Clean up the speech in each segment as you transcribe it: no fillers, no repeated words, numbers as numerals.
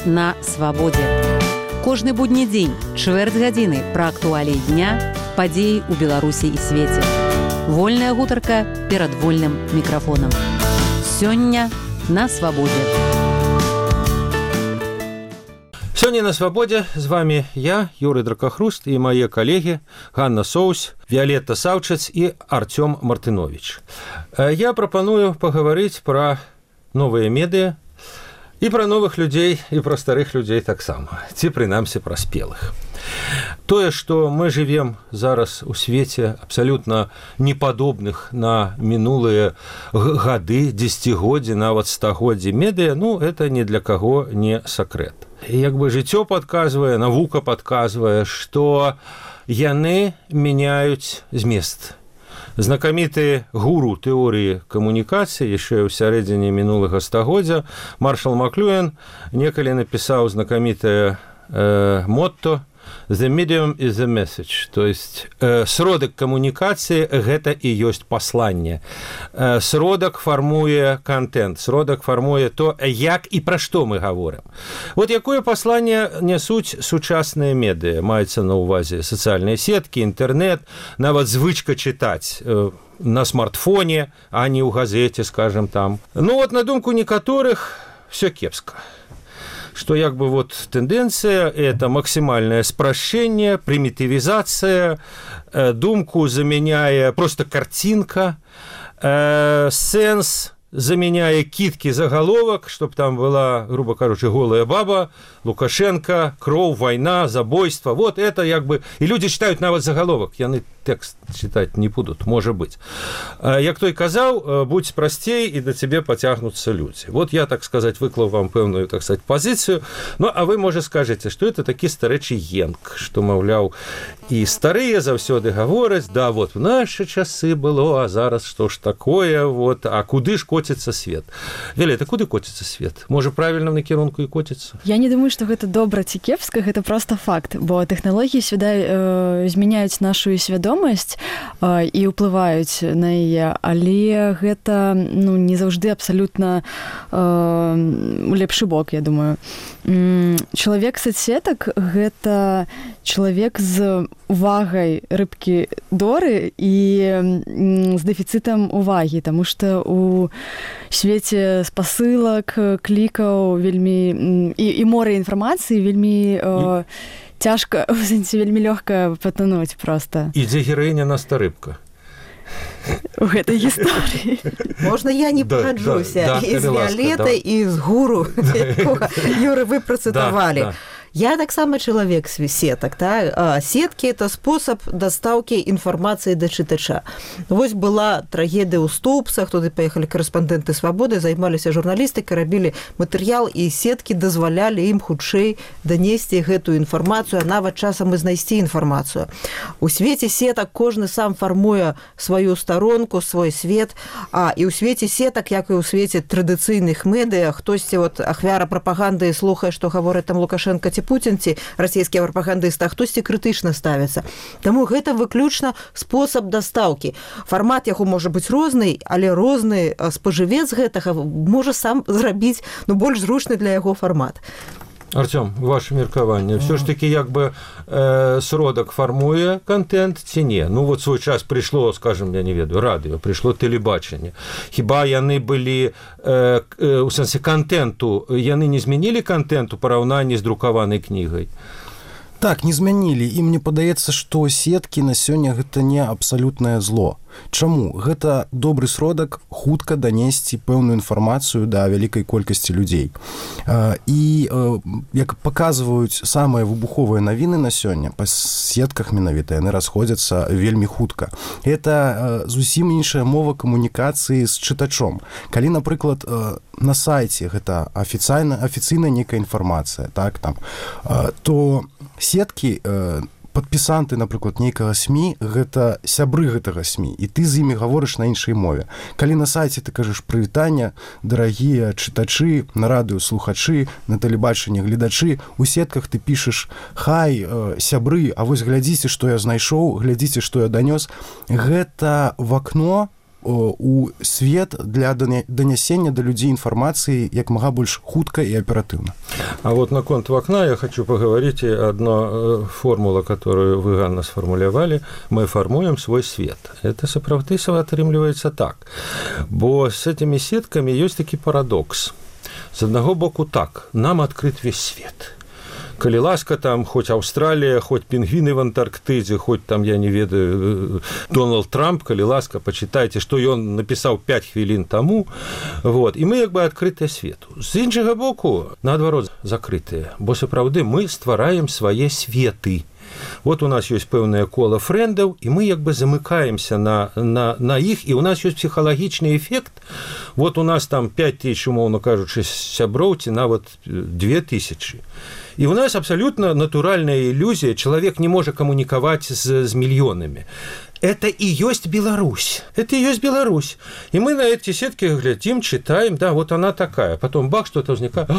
на свабодзе. Кожны будні дзень, чвэрць гадзіны пра актуаліі дня, падзеі ў Беларусі і свеце. Вольная гутарка перад вольным мікрафонам. Сёння на свабодзе. Сёння на свабодзе з вами я, Юрый Дракахруст, і мае калегі Ганна Соус, Віолетта Саўчац і Артём Мартынович. Я прапаную пагаварыць пра новыя медыа, і пра новых людзей, і пра старых людзей таксама, ці прынамсі пра спелых. Тое, што мы жывем зараз у свеце абсалютна непадобных на мінулыя гады, дзесяцігоддзі, нават стагоддзі медыа, это ні для каго не сакрэт. Як бы жыццё падказвае, навука падказвае, што яны мяняюць змест. Знакаміты гуру тэорыі камунікацыі яшчэ ў сярэдзіне мінулага стагоддзя Маршал Маклюэн некалі напісаў знакамітае мотто «The medium is the message», то есть сродак камунікацыі гэта і ёсць пасланне. Сродак фармуе контент, сродак фармуе то, як і пра што мы гаворым. Вот якое пасланне нясуць сучасныя медыа, маецца на ўвазе сацыяльныя сеткі, інтэрнет, нават звычка чытаць на смартфоне, а не ў газеце, скажем там. На думку некаторых, всё кепска. Что як бы тенденция – это максимальное спрашчэнне, примитивизация, думку заменяя просто картинка, сенс заменяя китки заголовок, чтобы там была, грубо кажучи, голая баба, Лукашенко, кроў, война, забойство. Вот это як бы... И люди читают нават заголовок, яны текст читать не будут, может быть. Як той казаў, будь простей, и до тебе потягнутся люди. Вот я, так сказать, выклаў вам пэўную, так сказать, позицию. А вы, может, скажете, что это такі старэчы енк, что, маўляў, и старые заўсёды гавораць, да, в наши часы было, а зараз что ж такое, а куды ж котится свет? Віолетта, куды котится свет? Может, правильно в накірунку и котится? Я не думаю, что гэта добра ці кепска, гэта просто факт, бо тэхналогіі змяняюць нашу свядомасць і ўплываюць на яе, але гэта не заўжды абсалютна у лепшы бок, я думаю. Чалавек соцсетак гэта чалавек з увагай рыбкі Доры і з дэфіцытам увагі, таму што у свеце спасылак, клікаў вельмі і мора інфармацыі вельмі цяжка, в сэнсе вельмі лёгка патануць проста. І дзе гераіня Наста Рыбка? У гэтай гісторыі. Можна я не пагаджуся і з Віолеттай, і з гуру, якога Юры вы працытавалі. Я таксама чалавек сетак. Сеткі – это спосаб дастаўкі інфармацыі да чытача. Вось была трагедыя ў Стоўпсах, туды паехалі корэспандэнты «Свабоды», займаліся журналістыкай, рабілі матэрыял, і сеткі дазвалялі ім хутчэй данесці гэтую інфармацыю, а нават часам і знайсці інфармацыю. У свеце сетак кожны сам фармуе сваю старонку, свой свет, і ў свеце сетак, як і ў свеце традыцыйных медыа, хтосьці ахвяра прапаганды слухае, што гавораць там Лукашенко ці Путін, ці расійскія прапагандысты, а хтосьці крытычна ставіцца. Таму гэта выключна спосаб дастаўкі. Фармат яго можа быць розны, але розны спажывец гэтага можа сам зрабіць больш зручны для яго фармат. Артём, ваше меркаванне, все ж таки як бы сродак фармуе контент ці не? Свой час прыйшло, скажем, я не ведаю, радыё, прыйшло тэлебачанне. Хіба яны былі у сэнсе контенту, яны не змянілі контент у параўнанні з друкаванай кнігай? Так, не змянілі. І мне падаецца, што сеткі на сёння гэта не абсалютнае зло. Чаму? Гэта добры сродак хутка данесці пэўную інфармацыю да вялікай колькасці людзей. І, як паказваюць самыя выбуховыя навіны на сёння, па сетках менавіта яны расходзяцца вельмі хутка. Гэта зусім іншая мова камунікацыі з чытачом. Калі, напрыклад, на сайце гэта афіцыйная некая інфармацыя, так, там, то сеткі падпісанты, напрыклад, нейкага СМІ, гэта сябры гэтага СМІ, і ты з імі гаворыш на іншай мове. Калі на сайце ты кажаш прывітання, дарагія чытачы, на радыё слухачы, на тэлебачанні гледачы, у сетках ты пішаш хай, сябры, а вось глядзіце, што я знайшоў, глядзіце, што я данёс. Гэта в акно у свет для данясення да людзей інфармацыі як мага больш хутка і аператыўна. А вот на конт окна я хочу поговорить одна формула, которую вы, Ганна, сформулировали. Мы формуем свой свет. Это сапраўды атрымліваецца так. Бо с этими сетками есть таки парадокс. С одного боку так, нам открыт весь свет. Калі ласка, там хоть Австралия, хоть пингвины в Антарктиде, хоть там, я не ведаю, Дональд Трамп, калі ласка, почитайте, что он написал 5 хвилин тому. Вот. И мы як бы открытые свету. З іншага боку, наадварот, закрытые. Бо сапраўды мы ствараем свае светы. Вот у нас есть пэўнае кола фрэндаў, і мы як бы замыкаемся на іх, і у нас есть психалагічны эффект. Вот у нас там 5000, умоўно кажучы, сяброў, ці нават 2000. И у нас абсолютно натуральная иллюзия. Человек не может коммуниковать с миллионами. Это и есть Беларусь. Это и есть Беларусь. И мы на эти сетки глядим, читаем, да, вот она такая. Потом бах, что-то возникает.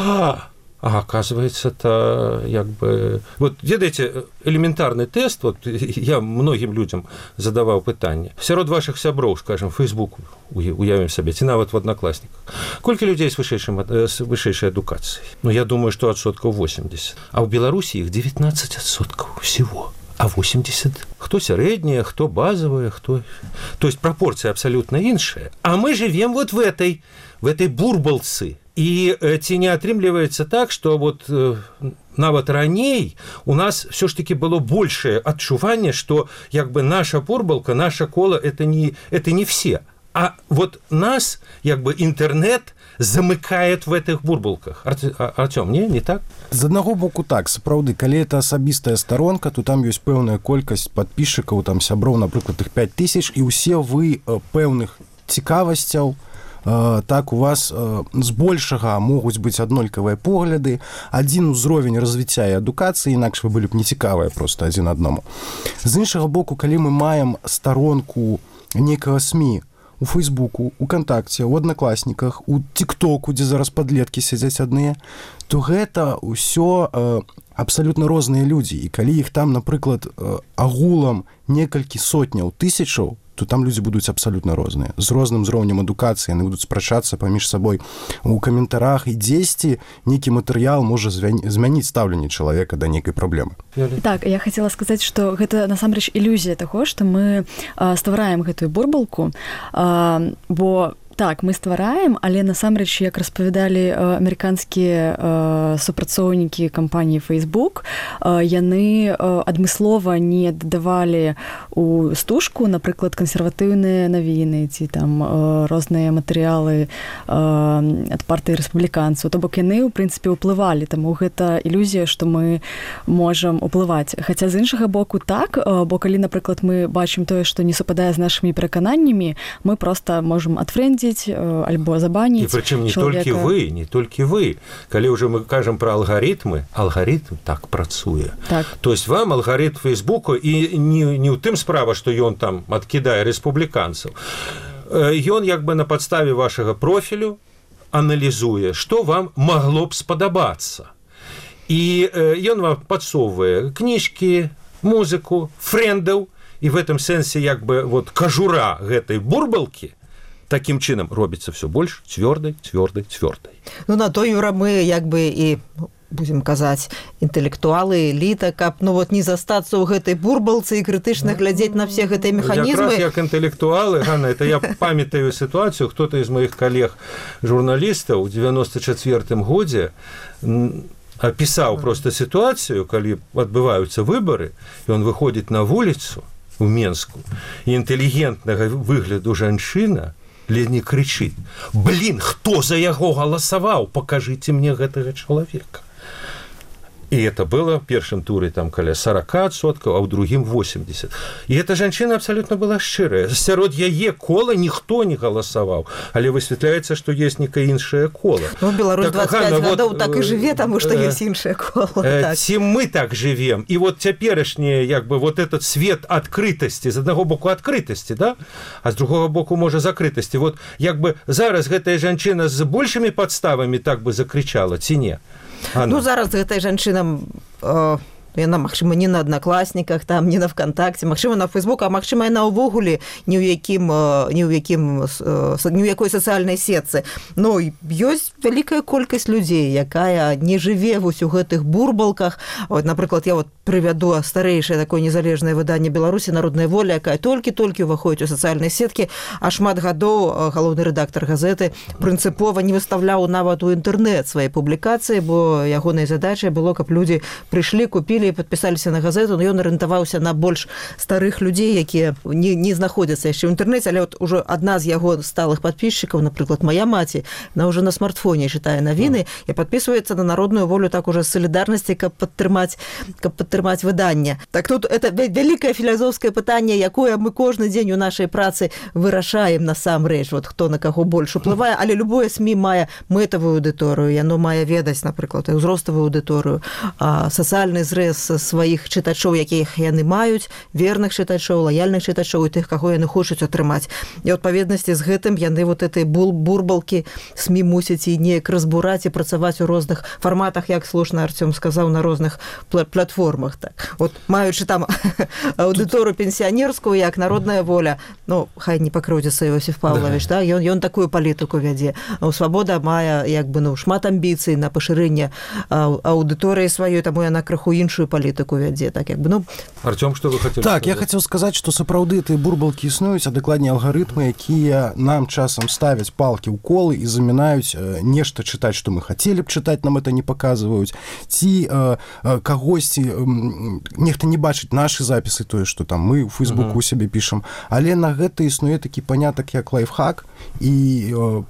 А оказывается, это как бы... Вот, ведаеце, элементарный тест, вот я многим людям задавал пытанне. Сярод ваших сяброў, скажем, Facebook, уявим себе, ці нават в Одноклассниках. Колькі людей с высшейшей адукацией? Ну, я думаю, что 80%. А в Беларуси их 19% всего. А 80? Кто средняя, кто базовая, кто... То есть пропорция абсолютно іншая. А мы живем вот в этой бурбалцы. І ці не атрымліваецца так, што вот нават раней у нас все ж таки было большее адчуванне, што як бы наша бурбалка, наша кола это не все. А вот нас як бы інтэрнэт замыкает в этих бурбалках. Артём, не так? З аднаго боку так, сапраўды, калі это асабістая старонка, то там ёсць пэўная колькасць падпісчыкаў, там сяброў, напрыклад, іх 5000, і ўсе вы пэўных цікавасцяў, так у вас збольшага могуць быць аднолькавыя погляды, адзін узровень развіцця і адукацыі, інакш вы былі б нецікавыя проста адзін аднаму. З іншага боку, калі мы маем старонку нейкага СМІ у Фейсбуку, у Контакце, у Одноклассниках, у ТикТоку, дзе зараз падлеткі сядзяць адныя, то гэта ўсё абсалютна розныя людзі. І калі іх там, напрыклад, агулам некалькі сотняў тысячаў, то там людзі будуць абсалютна розныя. З розным узроўнем адукацыі, яны будуць спрачацца паміж сабой у каментарах, і дзесьці нейкі матэрыял можа змяніць стаўленне чалавека да нейкай праблемы. Так, я хацела сказаць, што гэта насамрэч ілюзія таго, што мы ствараем гэтую бурбалку, бо так, мы ствараем, але насамрэч, як распавядалі амерыканскія супрацоўнікі кампаніі Facebook, яны адмыслова не дадавалі у стужку, напрыклад, кансерватыўныя навіны ці там розныя матэрыялы ад партыі рэспубліканцаў. То бок яны, у прынцыпе, ўплывалі, таму гэта ілюзія, што мы можам уплываць. Хаця з іншага боку так, бо калі, напрыклад, мы бачым тое, што не супадае з нашымі перакананнямі, мы проста можам адфрэндзіць альбо забаніць. І прычым не толькі вы. Калі ўжо мы кажам пра алгарытмы, алгарытм так працуе. Так. То есть вам алгарытм Фейсбуку і не ў тым справа, што ён там адкідае рэспубліканцаў. Ён як бы на падставе вашага профілю аналізуе, што вам магло б спадабацца. І ён вам падсоўвае кніжкі, музыку, фрэндаў, і в этом сэнсе як бы вот кажура гэтай бурбалкі таким чынам робіцца все больш цвёрдай. Ну, на то, Юра, мы як бы і, будем казаць, інтэлектуалы, эліта, каб, ну, вот не застацца ў гэтай бурбалцы і крытычна глядзець на все гэтыя механізмы. Якраз як інтэлектуалы, Ганна, это я памятаю сітуацыю, хто-то из моих коллег-журналістаў у 94-м годзе опісаў просто сітуацыю, калі адбываюцца выбары, і он выходзіць на вуліцу у Менску, і інтэлігентнага выгляду жанчына ледзь крычыць: «Блин, хто за яго галасаваў? Покажите мне гэтага чалавека». И это было в первом туре там каля 40%, а в другим 80%. И эта женщина абсолютно была шчырая. Сярод яе кола ніхто не галасаваў, але высвятляецца, што есть некая іншая кола. Ну, Беларусь 25 гадоў так і жыве, таму што ёсць іншая кола. Ці мы так живем. И вот цяперашні, як бы, вот этот свет открытости, з аднаго боку открытости, да? А з другого боку, можа, закрытости. Вот, як бы, зараз гэтая жанчына з большими подставами так бы закричала, ці не? Ну, зараз гэтай жанчынам яна, магчыма, не на аднакласніках, там, не на ВКонтакце, магчыма, на Фейсбук, а магчыма, яна ўвогуле ні ў якой сацыяльнай сетцы. Но ёсць вялікая колькасць людзей, якая не жыве вось у гэтых бурбалках. Вот, напрыклад, я вот прывяду старэйшае такое незалежнае выданне Беларусі «Народная воля», якая толькі-толькі ўваходзіць у сацыяльнай сеткі, а шмат гадоў галоўны рэдактар газеты прынцыпова не выставляў нават у інтэрнэт свае публікацыі, бо ягонай задачай было, каб людзі прыйшлі, купілі і падпісаліся на газету, но ён арыентаваўся на больш старых людзей, якія не знаходзяцца яшчэ ў інтэрнэце, але вот ужо адна з яго сталых падпісчыкаў, напрыклад, мая маці, она ўжо на смартфоне чытае навіны і падпісваецца на «Народную волю» так уже з салідарнасці, каб падтрымаць выданне. Так тут это вялікае філасофскае пытанне, якое мы кожны дзень у нашай працы вырашаем насамрэч, вот хто на каго больш уплывае, але любое СМІ мае мэтавую аўдыторыю, яно мае ведаць, напрыклад, ўзроставую аўдыторыю, сацыяльны зрэз сваіх чытачоў, якіх яны маюць, верных чытачоў, лаяльных чытачоў і тых, каго яны хочуць атрымаць. І ў адпаведнасці з гэтым яны вот этой бурбалкі СМІ мусяць і неяк разбураць і працаваць у розных фарматах, як слушна Артём сказаў, на розных платформах. Так. Вот маючы там аўдыторыю пенсіянерскую, як «Народная воля», ну, хай не пакрыўдзіцца Іосиф Павлович, да, ён такую палітыку вядзе. «Свабода» мае як бы, ну, шмат амбіцый на пашырэнне аўдыторыі сваёй, таму яна крыху іншую палітыку вядзе. Так, як бы, ну... Артём, што вы хацелі сказаць? Я хацеў сказаць, што сапраўды тыя бурбалкі існуюць, а дакладней алгарытмы, якія нам часам ставяць палкі ў колы і замінаюць нешта чытаць, што мы хацелі б чытаць, нам это не паказваюць. Ці кагосьці, нехта не бачыць нашы запісы, тое, што там мы ў Фейсбуку у сябе пішам, але на гэта існуе такі панятак, як лайфхак і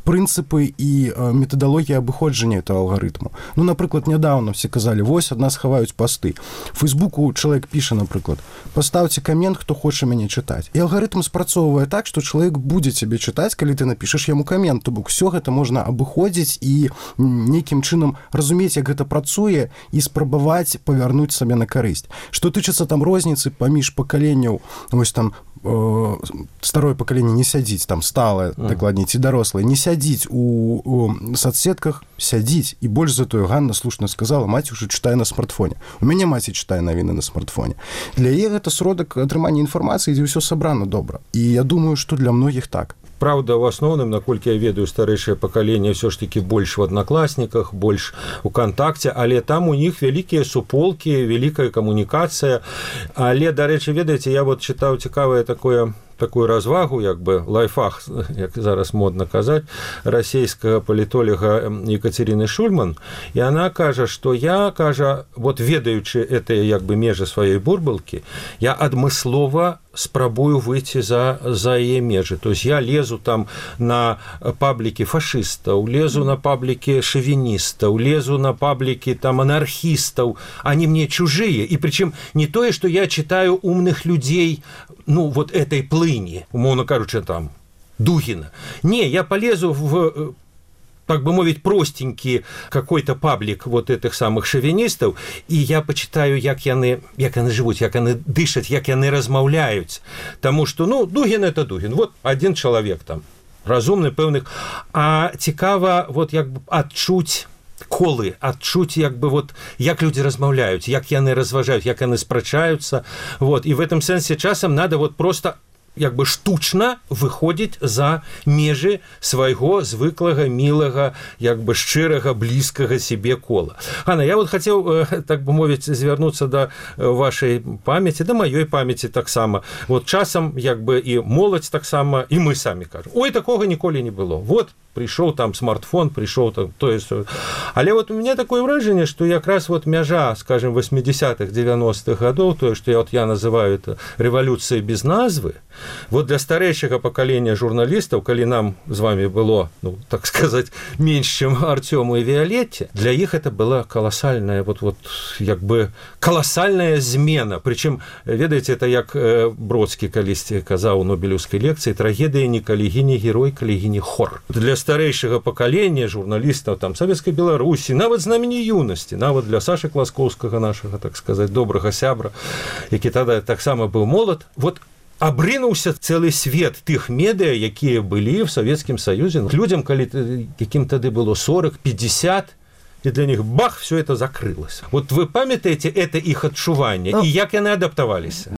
прынцыпы і метадалогія абыходжання этого алгарытму. Ну, напрыклад, нядаўна все казалі, вось ад нас хаваюць пасты. В Фейсбуку чалавек піша, напрыклад, пастаўце камент, хто хоча мяне чытаць. І алгарытм спрацоўвае так, што чалавек будзе цябе чытаць, калі ты напішаш яму камент. То бок усё гэта можна абыходзіць і нейкім чынам разумець, як гэта працуе і спрабаваць павярнуць сабе на карысць. Што тычыцца там розніцы паміж пакаленняў, вось там старое пакаленне не сядзіць, там сталае, дакладней, ці дарослае, не сядзіць у соцсетках, сядзіць. І больш за тое, Ганна слушна сказала, маці ўжо чытае на смартфоне. У мяне маці чытае навіны на смартфоне. Для яе гэта сродак атрымання інфармацыі, дзе ўсё сабрана добра. І я думаю, што для многіх так. Праўда, у асноўным, наколькі я ведаю, старэйшае пакаленне ўсё ж такі больш в аднакласніках, больш у кантакце, але там у них вялікія суполкі, вялікая камунікацыя. Але, дарэчы, ведаеце, я вот чытаў цікавае такую развагу, як бы лайфхак, як зараз модна казаць, расійскага палітолога Екатерины Шульман, і она кажа, што я, кажа, вот ведаючы гэтыя як бы межы сваёй бурбалкі, я адмыслова спрабую выйти за яе межы. То есть я лезу там на паблікі фашыстаў, лезу на паблікі шовіністаў, лезу на паблікі там анархістаў, они мне чужие. И причем не тое, что я читаю умных людей, ну, вот этой плыни, умовно кажучи, там, Дугина. Не, я полезу в, так бы мовить, простенький какой-то паблик вот этих самых шовинистов, и я почитаю, як яны живут, як яны дышат, як яны размаўляюць. Тому что, ну, Дугин – это Дугин. Вот один человек там, разумны, пэўных. А цікава, вот, як бы, адчуць колы, адчуць, як бы, вот, як люди размаўляюць, як яны разважаюць, як яны спрачаюцца. Вот. И в этом сенсе часам надо вот просто як бы штучна выходзіць за межы свайго звыклага, мілага, як бы шчырага, блізкага себе кола. Ганна, я вот хацеў, так бы мовіць, звярнуцца да вашай памяці, да маёй памяці таксама. Вот часам, як бы, і моладзь таксама, і мы самі кажам. Ой, такога ніколі не было. Вот пришел там смартфон, пришел там то есть. Але вот у меня такое выражение, что якраз вот мяжа, скажем, 80-х, 90-х годов, то, что я называю это революцией без назвы, вот для старейшего поколения журналистов, коли нам с вами было, ну, так сказать, меньше, чем Артему и Виолетте, для их это была колоссальная, вот як бы колоссальная змена. Причем, ведаете, это як Бродский колись казал у Нобелевской лекции, трагедия не калігіні герой, калігіні хор. Для старейшего поколения журналистов там Советской Беларуси, нават з намі юности, нават для Саши Класкоўскага, нашего, так сказать, добрага сябра, які тогда так само был молод, вот абрынуўся цэлы свет тых медыа, якія былі в Советскім Союзе. Людям, калі якім тады было 40, 50, и для них бах, все это закрылось. Вот вы памятаете это их адчуванне, и як яны адаптаваліся?